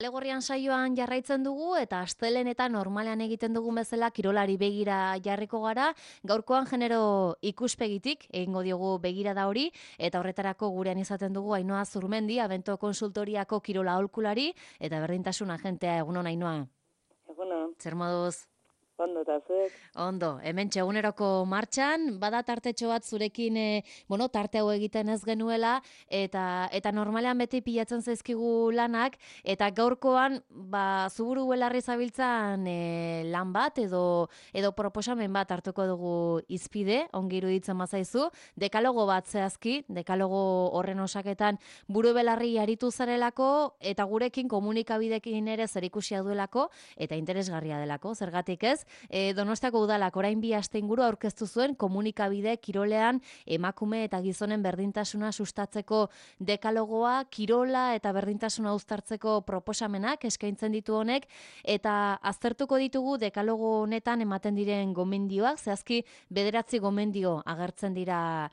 Legorrian saioan jarraitzen dugu eta astelehen eta normalean egiten dugun bezala kirolari begira jarriko gara. Gaurkoan genero ikuspegitik egingo diogu begira da hori eta horretarako gurean izaten dugu Ainhoa Zurmendi, Abento konsultoriako kirola aholkulari eta berdintasun agentea. Egunon Ainhoa. Egunon, Zer moduz? ondo eta zuek? Ondo, hemen eguneroko martxan, bada tartetxo bat zurekin, tarte hau egiten ez genuela, eta normalean beti pilatzen zaizkigu lanak, eta gaurkoan, zuburu belarri zabiltzan lan bat, edo proposamen bat hartuko dugu izpide, ongi iruditzen bazaizu, dekalogo bat zehazki, dekalogo horren osaketan buru belarri aritu zarelako, eta gurekin komunikabidekin ere zerikusia duelako, eta interesgarria delako, zergatik ez, Donostiako udalak orain 2 aste inguru aurkeztu zuen komunikabide kirolean emakume eta gizonen berdintasuna sustatzeko dekalogoa, kirola eta berdintasuna uztartzeko proposamenak eskaintzen ditu honek, eta aztertuko ditugu dekalogo honetan ematen diren gomendioak, zehazki 9 gomendio agertzen dira,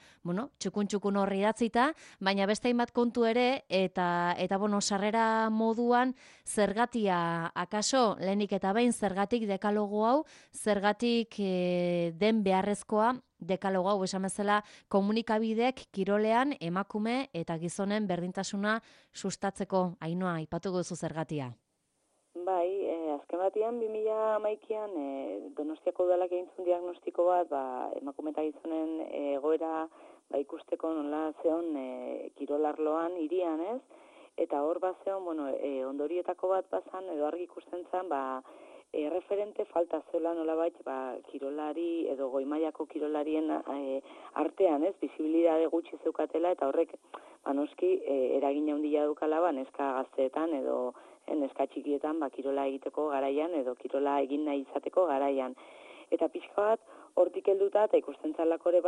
txukun horri idatzita, baina beste hainbat kontu ere, eta sarrera moduan zergatia akaso, lehenik eta behin zergatik dekalogo hau, zergatik den beharrezkoa dekalogo hau, esan bezala komunikabidek kirolean emakume eta gizonen berdintasuna sustatzeko. Ainhoa, aipatuko duzu zergatia. Bai, azken batean 2011an Donostiako udalak egin zuen diagnostiko bat, emakume eta gizonen egoera ikusteko nola zeon kirolarloan hirian, ez? Eta hor bazeon, ondorietako bat bazan edo argi ikusten zen, referente falta zela nolabait kirolari edo goi-mailako kirolarien artean, ez, bisibilidade gutxi zeukatela, eta horrek noski eragina handia dukala neska gazteetan edo neska txikietan kirola egiteko garaian edo kirola egin nahi izateko garaian. Eta pixka bat hortik helduta eta ikusten zalako ere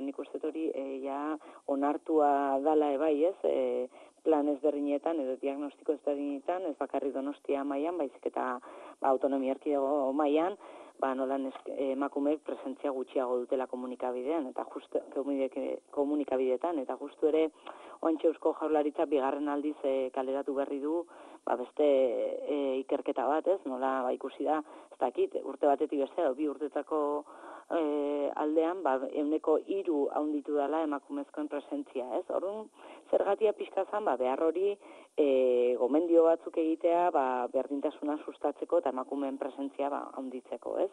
nik uste hori ja onartua dala bai, ez, plan ezberdinetan edo diagnostiko ezberdinetan, ez bakarri Donostia mailan, baizik eta autonomia erkidego mailan, nolan emakumeek presentzia gutxiago dutela komunikabidean eta komunikabideetan, eta justu ere oraintxe Eusko Jaurlaritza 2. aldiz kaleratu berri du beste ikerketa bat, ez, nola ikusi da, ez dakit, urte batetik beste, 2 urtetako aldean, 3% handitu dela emakumezkoen presentzia, ez? Orduan, zergatia pixka zan, behar hori gomendio batzuk egitea, berdintasuna sustatzeko eta emakumeen presentzia handitzeko, ez?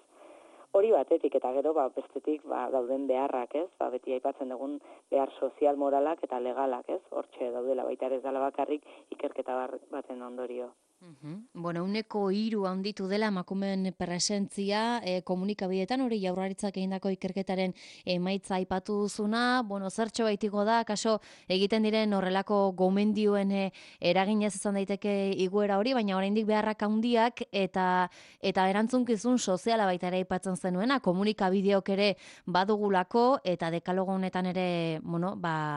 Hori batetik eta gero bestetik dauden beharrak, ez? Beti aipatzen dugun behar sozial, moralak eta legalak, ez? Hortxe daudela baita ere ez dela bakarrik ikerketa baten ondorio. 3% handitu dela emakumeen presentzia komunikabideetan, hori Jaurlaritzak egindako ikerketaren emaitza aipatu duzuna, zertxo baitiko da, kaso egiten diren horrelako gomendioen eraginez izan daiteke igoera hori, baina oraindik beharrak handiak eta erantzunkizun soziala baita ere aipatzen zenuena, komunikabideok ere badugulako eta dekalogo honetan ere,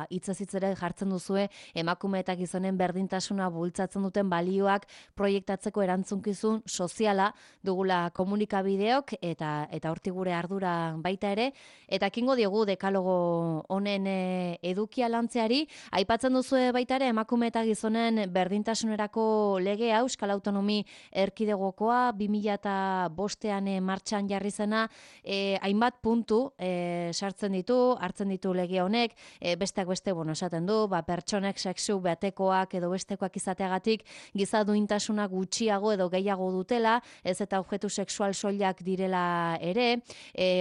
hitzez hitz ere jartzen duzue emakume eta gizonen berdintasuna bultzatzen duten balioak proiektatzeko erantzunkizun soziala dugula komunikabideok eta hortik gure ardura baita ere, eta ekingo diogu dekalogo honen edukia lantzeari. Aipatzen duzue baita ere emakume eta gizonen berdintasunerako legea Euskal Autonomi Erkidegokoa 2005an martxan jarri zena, hainbat puntu sartzen ditu, hartzen ditu lege honek, besteak beste esaten du, pertsonek sexu batekoak edo bestekoak izateagatik giza duintasuna gutxiago edo gehiago dutela, ez eta objektu sexual soilak direla ere,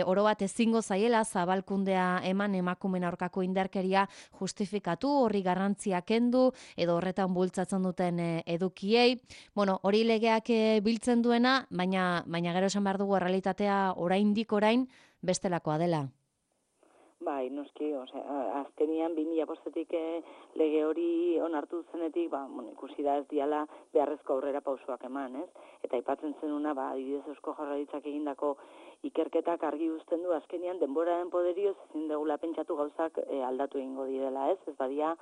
oro bat ezingo zaiela zabalkundea eman emakumeen aurkako indarkeria justifikatu, horri garrantzia kendu edo horretan bultzatzen duten edukiei. Hori legeak biltzen duena, baina gero esan behar dugu errealitatea orain bestelakoa dela. Bai, noski, azkenian 2005etik lege hori onartu zenetik, ikusi da ez diala beharrezko aurrera pausoak eman, ez? Eta aipatzen zenuna, adibidez Eusko Jaurlaritzak egindako ikerketak argi uzten du, azkenian denboraren poderioz ezin dugula pentsatu gauzak aldatu egingo direla, ez? Ez badia,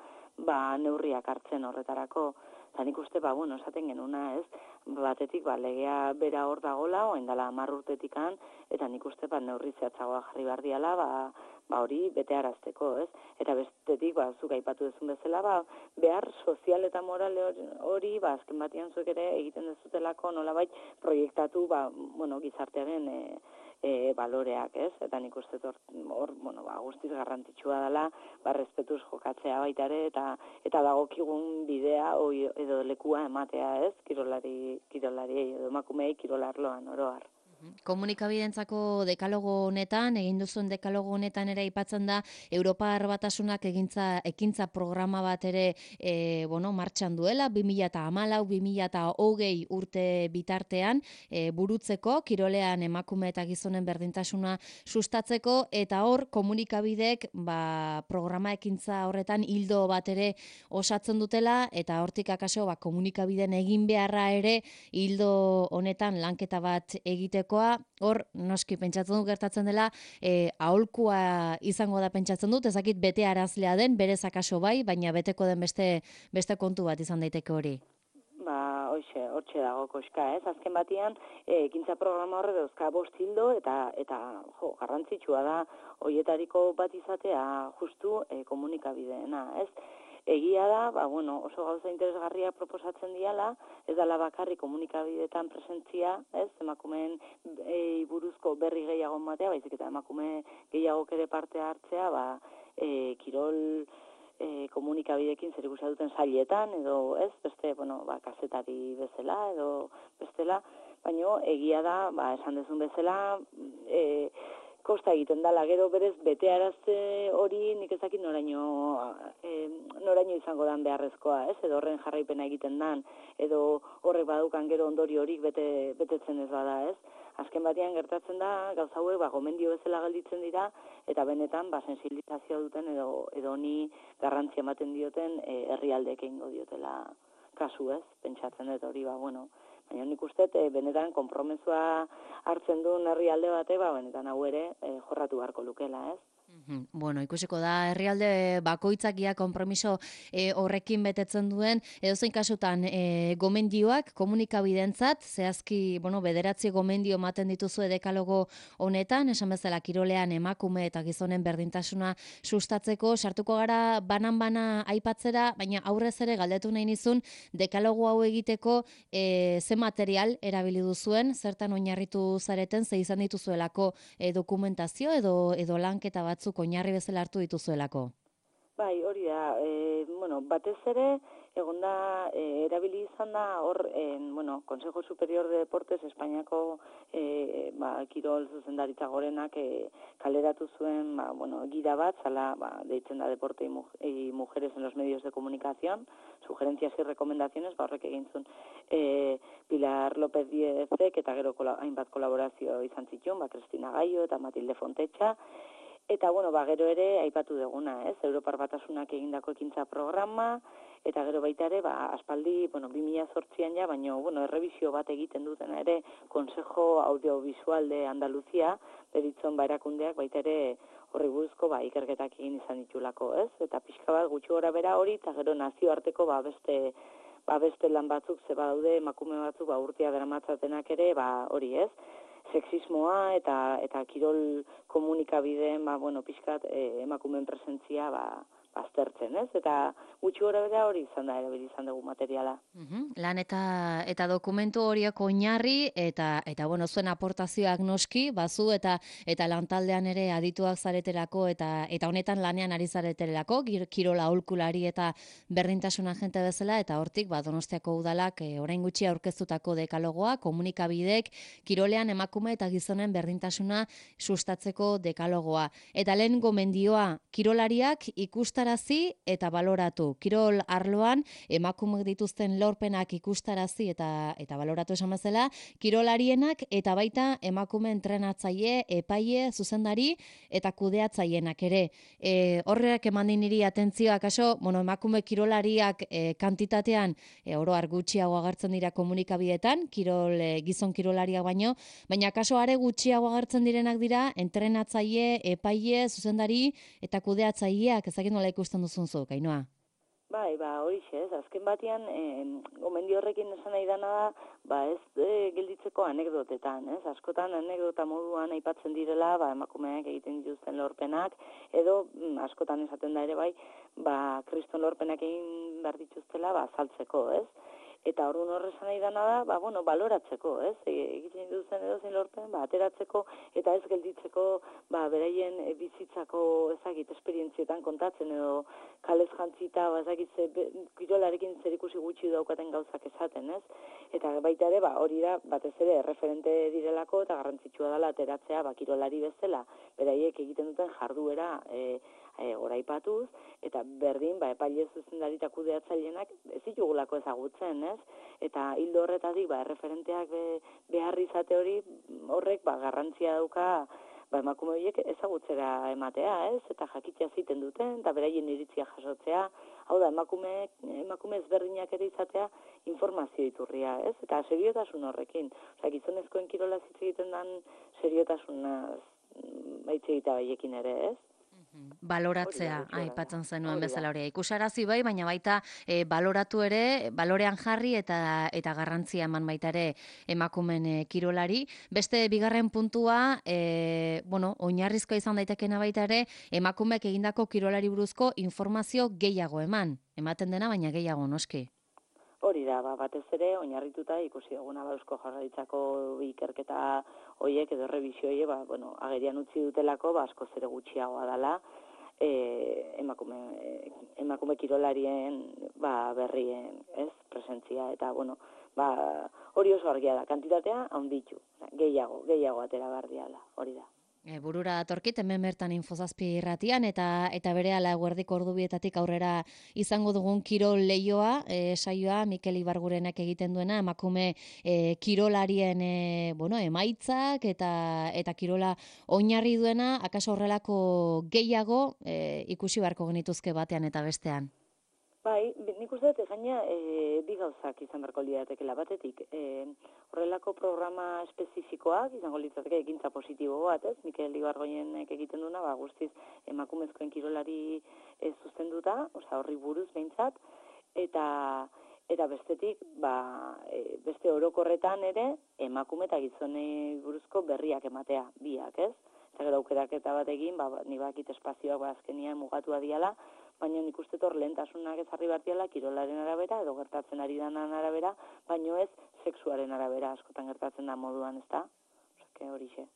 neurriak hartzen horretarako. Eta nik uste, esaten genuna, ez? Batetik, legea bera hor dagola, oain dela 10 urtetikan, eta nik uste, neurri zehatzagoa jarri behar diala, hori betearazteko, ez? Eta bestetik, zuk aipatu duzun bezala, behar sozial eta moral hori, azken batean zuek ere egiten dezutelako nolabait proiektatu, gizartearen baloreak, ez? Eta nik uste hor, guztiz garrantzitsua dela, respetuz jokatzea baita ere, eta dagokigun bidea edo lekua ematea, ez? Kirolari edo emakumei kirolarloan oroar. Komunikabidentzako dekalogo honetan, egin duzuen dekalogo honetan ere aipatzen da Europar Batasunak ekintza programa bat ere martxan duela, 2014-2020 urte bitartean burutzeko, kirolean emakume eta gizonen berdintasuna sustatzeko, eta hor komunikabidek programa ekintza horretan hildo bat ere osatzen dutela, eta hortik akaso komunikabiden egin beharra ere hildo honetan lanketa bat egiteko. Hor, noski, pentsatzen dut gertatzen dela, aholkua izango da pentsatzen dut, ezakit bete arazlea den, berez akaso bai, baina beteko den beste kontu bat izan daiteke hori. Hortxe dago koska, ez? Azken batean, ekintza programa horre dauzka 5 hildo, eta garrantzitsua da, hoietariko bat izatea justu komunikabideena, ez? Egia da, oso gauza interesgarria proposatzen diala, ez dela bakarrik komunikabideetan presentzia, ez, emakumeen buruzko berri gehiago ematea, baizik eta emakume gehiagok ere parte hartzea, kirol komunikabideekin zerikusia duten sailetan, edo ez, beste, kazetari bezala, edo bestela, baina egia da, esan dezun bezala, kosta egiten dela, gero berez betearazte hori nik ezakit noraino izango dan beharrezkoa, ez? Edo horren jarraipena egiten dan, edo horrek badukan gero ondori horik betetzen ez bada, ez? Azken batean gertatzen da, gauza hauek gomendio bezala gelditzen dira, eta benetan sensibilizazioa duten edo honi garrantzia ematen dioten herrialdeek egingo diotela kasu, ez? Pentsatzen dut hori, baina nik uste, benetan konpromesua hartzen duen herrialde bate, benetan hau ere jorratu beharko lukela, ez? Ikusiko da, herrialde bakoitzak konpromiso horrekin betetzen duen, edozein kasutan gomendioak komunikabidentzat, zehazki, 9 gomendio ematen dituzue dekalogo honetan, esan bezala kirolean emakume eta gizonen berdintasuna sustatzeko, sartuko gara banan-bana aipatzera, baina aurrez ere galdetu nahi nizun, dekalogo hau egiteko ze material erabili duzuen, zertan oinarritu zareten, ze izan dituzuelako dokumentazio edo lanketa batzuk oinarri bezala hartu dituzuelako? Bai, hori da. Batez ere, egonda, erabili izan da hor, Consejo Superior de Deportes Espainiako kirol zuzendaritza gorenak kaleratu zuen, gida bat, zala, deitzen da Deporte y Mujeres en los Medios de Comunicación, sugerencias y recomendaciones, horrek egin zuen Pilar López Diezek, eta gero hainbat kolaborazio izan zituen, Cristina Gallo eta Matilde Fontecha, eta, gero ere, aipatu duguna, ez? Europar Batasunak egindako ekintza programa, eta gero baita ere, aspaldi, 2008an ja, baina, errebizio bat egiten dutena ere, Consejo Audiovisual de Andaluzia, beritzon erakundeak baita ere horri buruzko ikerketak egin izan ditulako, ez? Eta pixka bat gutxi gora bera hori, eta gero nazioarteko beste lan batzuk, ze badaude, emakume batzuk, urtea deramatzatenak ere, hori, ez? Sexismoa eta kirol komunikabideen, pixkat emakumeen presentzia aztertzen, ez? Eta gutxi gora bera hori izan da, erabili izan dugu materiala. Lan eta dokumentu horiek oinarri, eta zuen aportazioak noski, bazu eta lantaldean ere adituak zareterako, eta honetan lanean ari zareterako, kirola aholkulari eta berdintasun agente bezala, eta hortik, Donostiako udalak orain gutxi aurkeztutako dekalogoa, komunikabidek, kirolean emakume eta gizonen berdintasuna sustatzeko dekalogoa. Eta lehen gomendioa, kirolariak ikustarazi eta baloratu. Kirol arloan, emakumeak dituzten lorpenak ikustarazi eta baloratu esan bezala, kirolarienak eta baita emakume entrenatzaile, epaile, zuzendari eta kudeatzailenak ere. Horrek eman niri atentzioa, kaso, emakume kirolariak kantitatean oro har gutxiago agertzen dira komunikabideetan, gizon kirolariak baina kaso are gutxiago agertzen direnak dira entrenatzaile, epaile, zuzendari eta kudeatzaileak, ezagik nola ikusten duzun zuk, Ainhoa? Bai, horixe, ez, azken batean, gomendio horrekin esan nahi dana da, ez gelditzeko anekdotetan, ez, askotan anekdota moduan aipatzen direla, emakumeak egiten dituzten lorpenak, edo askotan esaten da ere bai, kriston lorpenak egin behar dituztela, azaltzeko, ez, eta orduan horrezan nahi dana da, baloratzeko, ez, egiten dituzten edozein lorpen, ateratzeko, eta ez gelditzeko, beraien bizitzako, ezagit, esperientzietan kontatzen, edo kalez jantzita, ezagit, kirolarekin zerikusi gutxi daukaten gauzak esaten, ez? Eta baita ere, hori da, batez ere, referente direlako, eta garrantzitsua dela ateratzea, kirolari bezala, beraiek egiten duten jarduera, goraipatuz, eta berdin, epaile zuzendari eta kudeatzailenak ez ditugulako ezagutzen, ez? Eta hildo horretatik, erreferenteak behar izate hori, horrek, garrantzia dauka, emakume horiek ezagutzera ematea, ez? Eta jakitea ziten duten, eta beraien iritzia jasotzea, hau da, emakume ezberdinak ere izatea informazio iturria, ez? Eta seriotasun horrekin. Osa, gizonezkoen kirola hitz egiten dan seriotasunaz hitz egitea baiekin ere, ez? Baloratzea, aipatzen zenuen bezala hori. Ikusarazi bai, baina baita baloratu ere, balorean jarri eta garrantzia eman baita ere emakumen kirolari. Beste bigarren puntua, oinarrizkoa izan daitekena baita ere, emakumeak egindako kirolari buruzko informazio gehiago ematen dena, baina gehiago noski. Hori da, batez ere, oinarrituta ikusi eguna Eusko Jaurlaritzako ikerketa hoiek edo errebisio hoiek, agerian utzi dutelako, askoz ere gutxiagoa dela, emakume kirolarien berrien, ez, presentzia, eta, hori oso argia da, kantitatea handitu, gehiago atera bardiala, hori da. Burura datorkit, hemen bertan Infozazpi irratian, eta berehala eguerdiko ordubietatik aurrera izango dugun kirol leioa, saioa Mikel Ibargurenak egiten duena, emakume kirolarien emaitzak eta kirola oinarri duena, akaso horrelako gehiago ikusi beharko genituzke batean eta bestean. Bai, nik uste dut gaina bi gauzak izan beharko lidatekela batetik. Horrelako programa espezifikoak izango litzateke ekintza positibo bat, ez? Mikel Ibargoienek egiten duna, guztiz emakumezkoen kirolari zuzenduta, horri buruz behintzat, eta bestetik, beste orokorretan ere, emakume eta gizonei buruzko berriak ematea, biak, ez? Eta gero aukeraketa bat egin, ni bakit espazioak azkenian mugatua diala, baina nik uste hor lehentasunak ezarri bartiala kirolaren arabera, edo gertatzen ari danan arabera, baino ez sexuaren arabera askotan gertatzen da moduan, ez da? Horixe.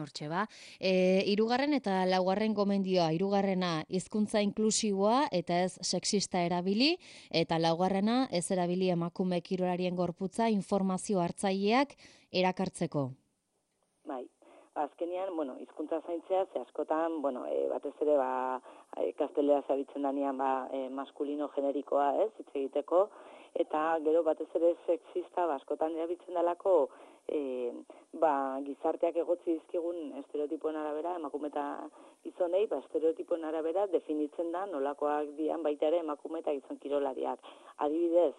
Hortxe ba. Hirugarren eta laugarren gomendioa, hirugarrena hizkuntza inklusiboa eta ez sexista erabili, eta laugarrena ez erabili emakume kirolarien gorputza informazio hartzaileak erakartzeko. Bai. Azkenean, hizkuntza zaintzea, ze askotan, batez ere, gaztelera zabitzen danean, maskulino generikoa, ez, hitz egiteko, eta gero batez ere sexista, askotan erabiltzen dalako, gizarteak egotzi dizkigun estereotipoen arabera, emakume eta gizonei, estereotipoen arabera definitzen da nolakoak dian baita ere emakume eta gizon kirolariak. Adibidez,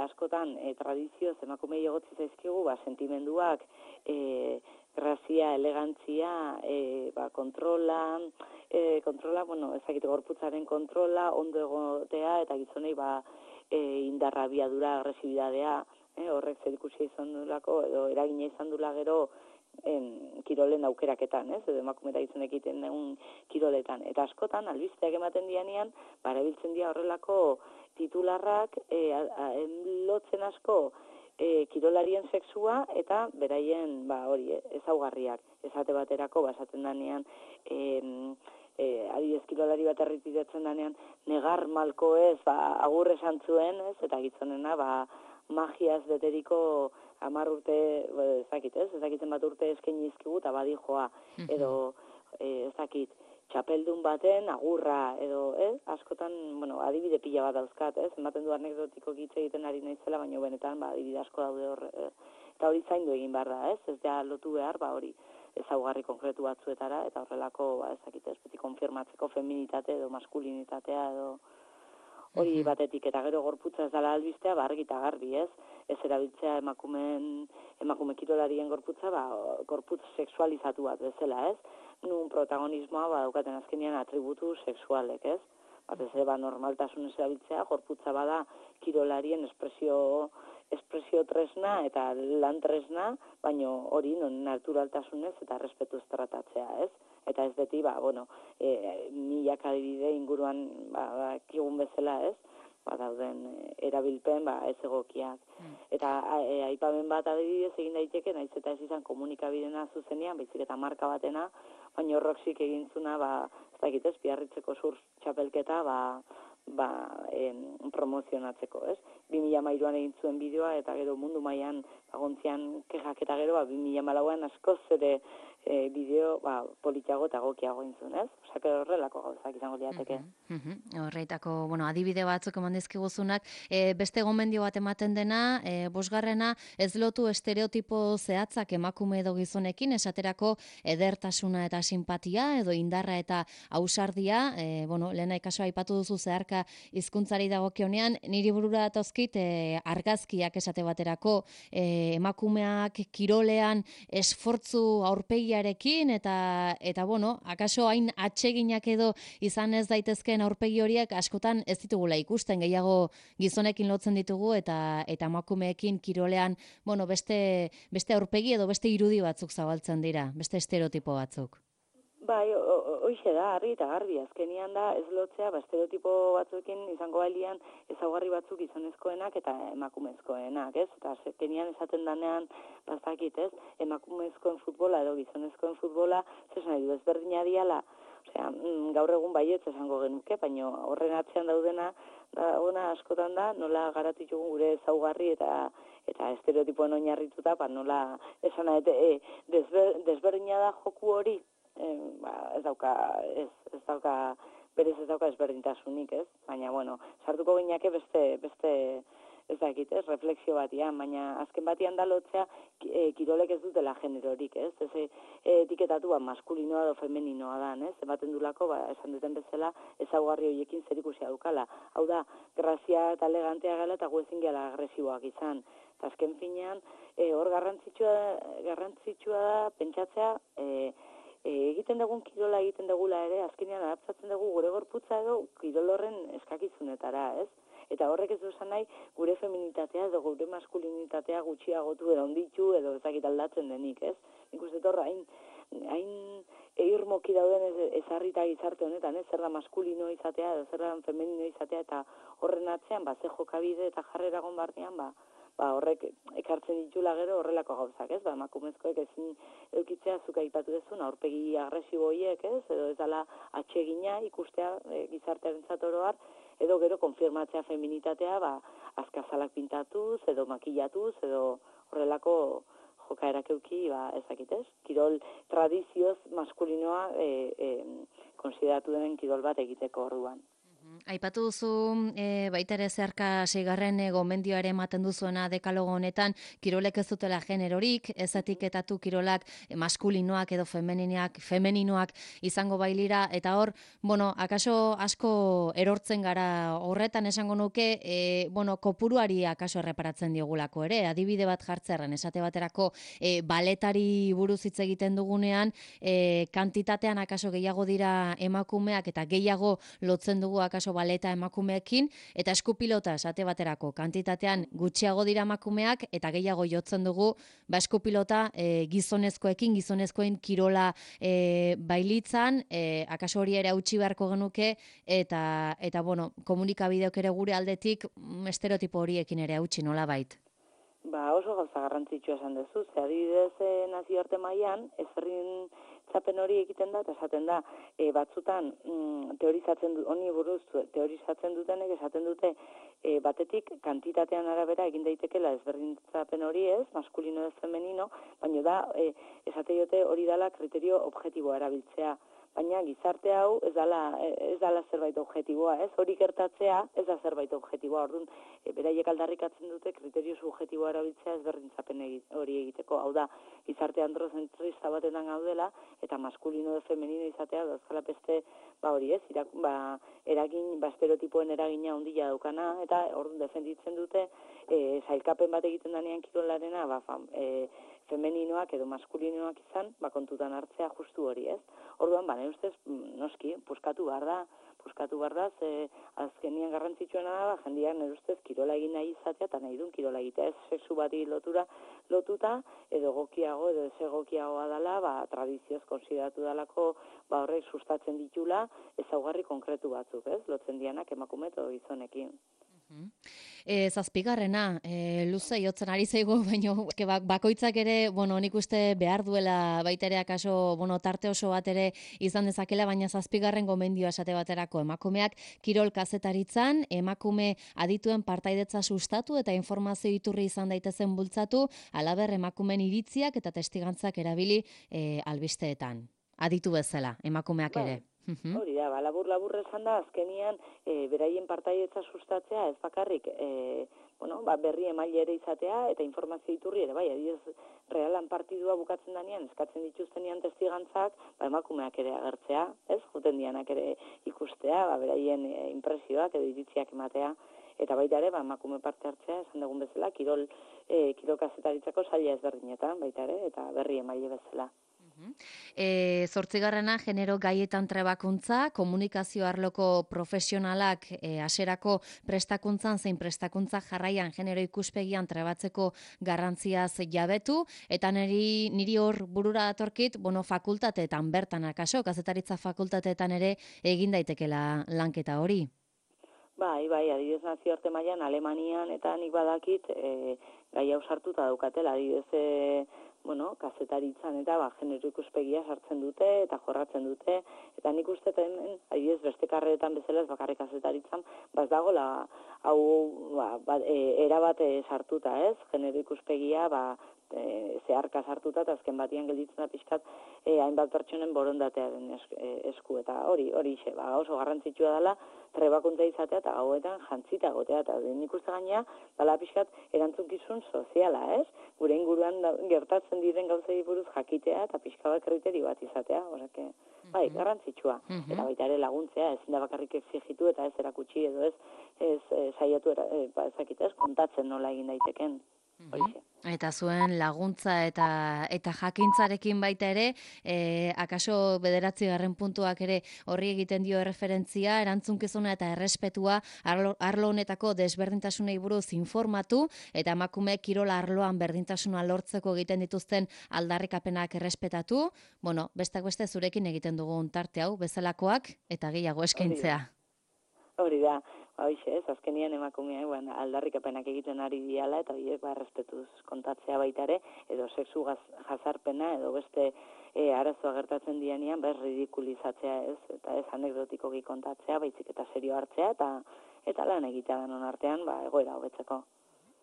askotan tradizioz emakumei egotzi zaizkigu, sentimenduak, grazia, elegantzia, kontrola, ezagite gorputzaren kontrola, ondo egotea, eta gizonei indarra, biadura, agresibidadea, horrek zerikusia izan dulako, edo eragina izan dula gero kirolen aukeraketan, edo emakume eta gizonek egiten dugun kiroletan. Eta askotan, albisteak ematen dianean, erabiltzen dira horrelako titularrak, lotzen asko, kirolarien sexua eta beraien ezaugarriak. Esate baterako, esaten danean, adibidez kirolari bat errepikatzen danean, negar malko ez, agur esan zuen, ez, eta gizonena, magiaz beteriko 10 urte, ezakitzen bat urte eskaini dizkigu eta badijoa, edo txapeldun baten agurra, edo, askotan, adibide pila bat dauzkat, ematen du anekdotiko hitz egiten ari naizela, baina benetan, adibide asko daude hor, eta hori zaindu egin behar da, ez da lotu behar, hori ezaugarri konkretu batzuetara, eta horrelako, beti konfirmatzeko feminitate edo maskulinitatea edo hori batetik, eta gero gorputza ez dela albistea, argi eta garbi, ez erabiltzea emakume kirolarien gorputza, gorputz sexualizatu bat bezala, ez? Nun protagonismoa daukaten azkenean atributu sexualek, ez? batez ere normaltasunez erabiltzea, gorputza bada kirolarien espresio tresna eta lan tresna, baino hori naturaltasunez eta respetuz tratatzea, ez? Eta ez beti, milaka adibide inguruan kigun bezala, ez? Dauden erabilpen ez egokiak. Eta aipamen bat adibidez egin daiteke, naiz eta ez izan komunikabidena zuzenean, baizik eta marka batena, baina Roxik egintzuna, ez dakit ez, Biarritzeko surf txapelketa, promozionatzeko, ez? 2013an egin zuen bideoa, eta gero mundu mailan agontzian kexak eta gero, 2014an askoz ere bideo politiago eta gokiago intzun, ez? Osak horrelako gauzak izango liateke. Horreitako, adibide batzuk eman dizkiguzunak, beste gomendio bat ematen dena, bosgarrena, ez lotu estereotipo zehatzak emakume edo gizonekin, esaterako edertasuna eta simpatia, edo indarra eta ausardia, lehena ikaso aipatu duzu zeharka hizkuntzari dagokionean, niri burura datozkit argazkiak esate baterako, emakumeak kirolean esfortzu aurpegiarekin eta akaso hain atseginak edo izan ez daitezkeen aurpegi horiek askotan ez ditugula ikusten, gehiago gizonekin lotzen ditugu eta emakumeekin kirolean, beste aurpegi edo beste irudi batzuk zabaltzen dira, beste estereotipo batzuk. Bai, hoxe da, argi eta garbi, azkenian da ez lotzea, estereotipo batzuekin izango balian ezaugarri batzuk gizonezkoenak eta emakumezkoenak, ez? Eta azkenian esaten danean, bazakit, ez? Emakumezkoen futbola edo gizonezkoen futbola, zesan nahi du ezberdina diala, gaur egun baietz esango genuke, baina horren atzean daudena askotan da, nola garatu ditugun gure ezaugarri eta estereotipoen oinarrituta, nola esan desberdina da joku hori, ez dauka ezberdintasunik, ez? Baina, sartuko gineake beste ez dakit, ez, refleksio batian, baina azken batian da lotzea kirolek ez dutela generorik, ez? Ez etiketatu maskulinoa edo femeninoa da, ez? Ematen dulako, esan duten bezala, ezaugarri horiekin zerikusia dukala. Hau da, grazia eta elegantea gala eta gu ezin gela agresiboak izan. Eta azken finean, hor garrantzitsua da pentsatzea, egiten dugun kirola egiten dugula ere, azkenean adaptatzen dugu gure gorputza edo kirol horren eskakizunetara, ez? Eta horrek ez du esan nahi gure feminitatea edo gure maskulinitatea gutxiagotu edo onditu edo ezakit aldatzen denik, ez? Nik uste torra, hain irmoki dauden ezarrita gizarte honetan, ez? Zer da maskulino izatea edo zer da femenino izatea eta horren atzean, ze jokabide eta jarrera gonbarnean, horrek ekartzen ditula gero horrelako gauzak, ez? Emakumezkoek ezin eukitzea zuk aipatu dezun, aurpegi agresibo horiek, ez? Edo ez dela atsegina ikustea gizartearentzat oro har, edo gero konfirmatzea feminitatea, azkazalak pintatuz, edo makillatuz, edo horrelako jokaerak euki, ezakitez, kirol tradizioz maskulinoa konsideratu denen kirol bat egiteko orduan. Aipatu duzu baita ere zeharka 6. gomendioa ere ematen duzuena dekalogo honetan, kirolek ez dutela generorik, ez etiketatu kirolak maskulinoak edo femeninoak izango bailira, eta hor, akaso asko erortzen gara horretan esango nuke, kopuruari akaso erreparatzen diogulako ere, adibide bat jartzerren, esate baterako baletari buruz hitz egiten dugunean, kantitatean akaso gehiago dira emakumeak eta gehiago lotzen dugu akaso baleta emakumeekin, eta eskupilota esate baterako kantitatean gutxiago dira emakumeak eta gehiago jotzen dugu eskupilota gizonezkoen kirola bailitzan, akaso hori ere hautsi beharko genuke eta komunikabideok ere gure aldetik estereotipo horiekin ere hautsi nolabait. Oso gauza garrantzitsua esan duzu, ze adibidez nazioarte mailan ezberdin txapen hori egiten da, eta esaten da, batzutan honi buruz teorizatzen dutenek, esaten dute, batetik kantitatean arabera egin daitekela ezberdintzapen hori ez, maskulino ez femenino, baina da, esate jote hori dala kriterio objektiboa erabiltzea. Baina gizarte hau ez dala zerbait objektiboa, ez? Hori gertatzea ez da zerbait objektiboa. Orduan, beraiek aldarrikatzen dute kriterio subjektiboa erabiltzea ezberdintzapen hori egiteko. Hau da, gizarte androzentrista batetan gaudela eta maskulino edo femenino izatea dauzkala beste hori ez, estereotipoen eragina handia daukana, eta orduan defenditzen dute sailkapen bat egiten danean kirolarena, femeninoak edo maskulinoak izan, kontutan hartzea justu hori, ez? Orduan, ustez, noski, puskatu behar da, puskatu behar da, ze azkenian garrantzitsuena da, jendeak nire ustez kirola egin nahi izatea, eta nahi duen kirola egitea, ez sexu bati lotuta, edo egokiago, edo ez egokiagoa dela, tradizioz konsideratu dalako, horrek sustatzen ditula, ezaugarri konkretu batzuk, ez? Lotzen dianak emakume edo gizonekin. Zazpigarrena, luze jotzen ari zaigu, baina bakoitzak ere, nik uste behar duela baita ere akaso, tarte oso bat ere izan dezakela, baina zazpigarren gomendioa esate baterako emakumeak kirol kazetaritzan, emakume adituen partaidetza sustatu eta informazio iturri izan daitezen bultzatu, halaber emakumeen iritziak eta testigantzak erabili albisteetan. Aditu bezala, emakumeak ere. Hori da, labur esan da, azkenian beraien partaidetza sustatzea, ez bakarrik, berri emaile ere izatea, eta informazio iturri ere, adibidez, realan partidua bukatzen danean, eskatzen dituztenean testigantzak, emakumeak ere agertzea, ez, juten dianak ere ikustea, beraien impresioak edo iritziak ematea, eta baita ere, emakume parte hartzea, esan dugun bezala, kirol kazetaritzako saila ezberdinetan, baita ere, eta berri emaile bezala. Zortzigarrena, genero gaietan trebakuntza, komunikazio arloko profesionalak haserako prestakuntzan zein prestakuntza jarraian genero ikuspegian trebatzeko garrantziaz jabetu, eta niri hor burura datorkit, fakultateetan bertan akaso, kazetaritza fakultateetan ere egin daitekela lanketa hori. Bai, adibidez nazioarte mailan Alemanian eta nik badakit gai hau sartuta daukatela, adibidez kazetaritzan eta genero ikuspegia sartzen dute eta jorratzen dute, eta nik uste hemen, adibidez beste karreretan bezala ez bakarrik kazetaritzan, ez dagoela hau erabat sartuta, ez? Genero ikuspegia zeharka sartuta eta azken batian gelditzen da pixkat hainbat pertsonen borondatearen esku, eta hori oso garrantzitsua dela trebakuntza izatea eta gauetan jantzita egotea, eta nik uste gainea dela pixkat erantzunkizun soziala, ez? Gure inguruan gertatzen diren gauzei buruz jakitea eta pixka bat kriterio bat izatea, horrek, garrantzitsua. Eta baita ere laguntzea, ezin da bakarrik exigitu eta ez erakutsi edo ez saiatu kontatzen nola egin daiteken. Eta zuen laguntza eta jakintzarekin baita ere, akaso 9. puntuak ere horri egiten dio erreferentzia, erantzunkizuna eta errespetua arlo honetako desberdintasunei buruz informatu, eta emakume kirola arloan berdintasuna lortzeko egiten dituzten aldarrikapenak errespetatu, bestak beste zurekin egiten dugun tarte hau, bezalakoak eta gehiago eskaintzea. Hori da. Hoxe, azkenian emakumeak aldarrikapenak egiten ari diala eta horiek errespetuz kontatzea baita ere, edo sexu jazarpena edo beste arazoa gertatzen dianean ridikulizatzea ez, eta ez anekdotikoki kontatzea, baizik eta serio hartzea eta lan egitea denon artean egoera hobetzeko.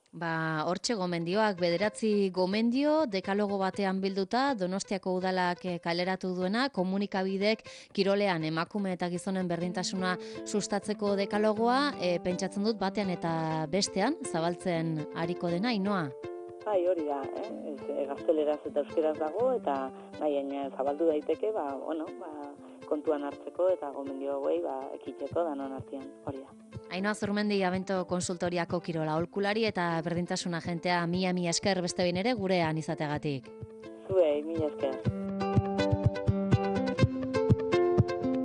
Hortxe gomendioak, 9 gomendio, dekalogo batean bilduta, Donostiako udalak kaleratu duena, komunikabidek kirolean emakume eta gizonen berdintasuna sustatzeko dekalogoa, pentsatzen dut batean eta bestean, zabaltzen ariko dena, Ainoa? Hori da, gazteleraz eta euskeraz dago, eta zabaldu daiteke, kontuan hartzeko eta gomendio hauei ekiteko danon artean, hori da. Ainoa Zurmendi, Abento konsultoriako kirola aholkulari eta berdintasuna agentea, mila esker beste behin ere gurean izateagatik. Zuei, mila esker.